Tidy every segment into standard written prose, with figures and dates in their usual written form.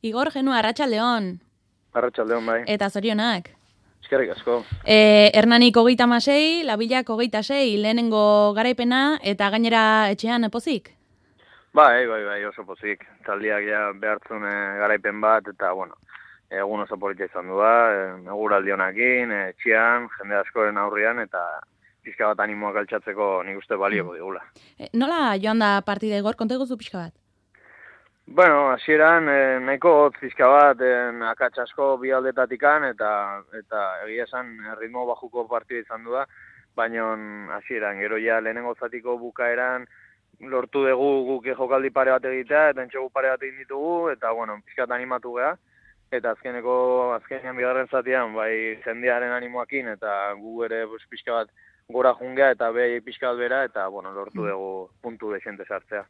Igor Genua, Arratsaldeon. Arratsaldeon bai. Eta zorionak. Eskerrik asko. Hernanik 36, Labilak 26, lehenengo garaipena eta gainera etxean pozik? Bai, oso pozik. Taldiak ja behartzun garaipen bat eta egun oso polita izan du eguraldi honekin, etxean, jende askoren aurrean eta pixka bat animoak altxatzeko nik uste balioko digula. Nola joan da partida, Igor? Konta eguzu pixka bat? Hasieran nahiko hotz pixka bat, akats asko bi aldetatikan eta egia esan ritmo bajuko partida izan du da, baina hasieran gero ja lehenengo zatiko bukaeran lortu dugu guk jokaldi pare bat egitea eta entxegu pare bat egin ditugu eta pixka bat animatu geha eta azkenean bigarren zatian bai jendearen animoakin eta gu ere pixka bat gora jungea eta behi pixka bat bera eta lortu dugu puntu desente sartzea.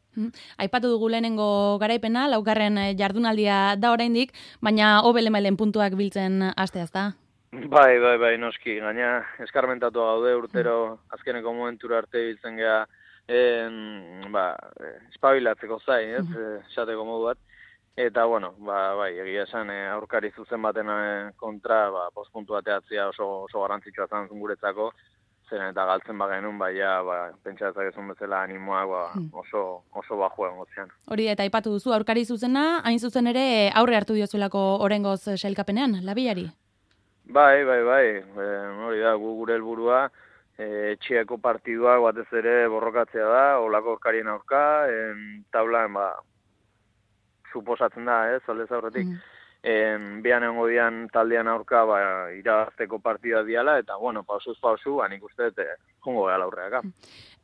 Aipatu dugu lehenengo garaipena, laugarren jardunaldia da oraindik, baina hobelemailen puntuak biltzen hastea ezta? Bai, noski, gaina eskarmentatu gaude urtero azkeneko momentura arte biltzen geha espabilatzeko zain, esateko modu bat. Eta, egia esan aurkari zuzen baten kontra, postpuntu bateatzea oso garrantzitsua zan guretzako, zeren eta galtzen bagenun, pentsatzak ezun bezala animoak oso bajuen gotzean. Hori eta aipatu duzu, aurkari zuzena, hain zuzen ere aurre hartu diozuelako orengoz sailkapenean, Labilari? Bai, hori da, gure helburua, etxeako partiduak batez ere borrokatzea da, olako aurkarien aurka, taulan, suposatzen da, aldez aurretik, behan egongo dian taldean aurka irabazteko partida diala, eta, pausuz pausu, nik uste, jungo gehala aurreaka.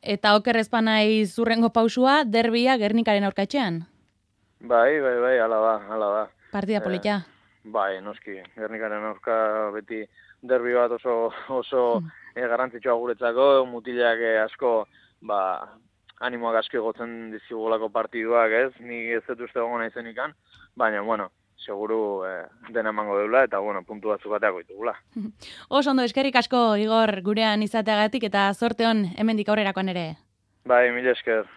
Eta oker ezpanai zurrengo pausua, derbia Gernikaren aurka etxean? Bai, hala da. Partida polita? Bai, noski, Gernikaren aurka beti derbi bat oso garrantzitsua guretzako, mutilak asko, animoak asko egotzen dizigulako partiduak, ni ez dut uste gongo nahizenikan, baina, seguru dena emango deula eta, puntu batzuk bateako ditugula. Oso ondo, eskerrik asko, Igor, gurean izateagatik eta zorte hon hemendik aurrerakoan ere. Bai, mila esker.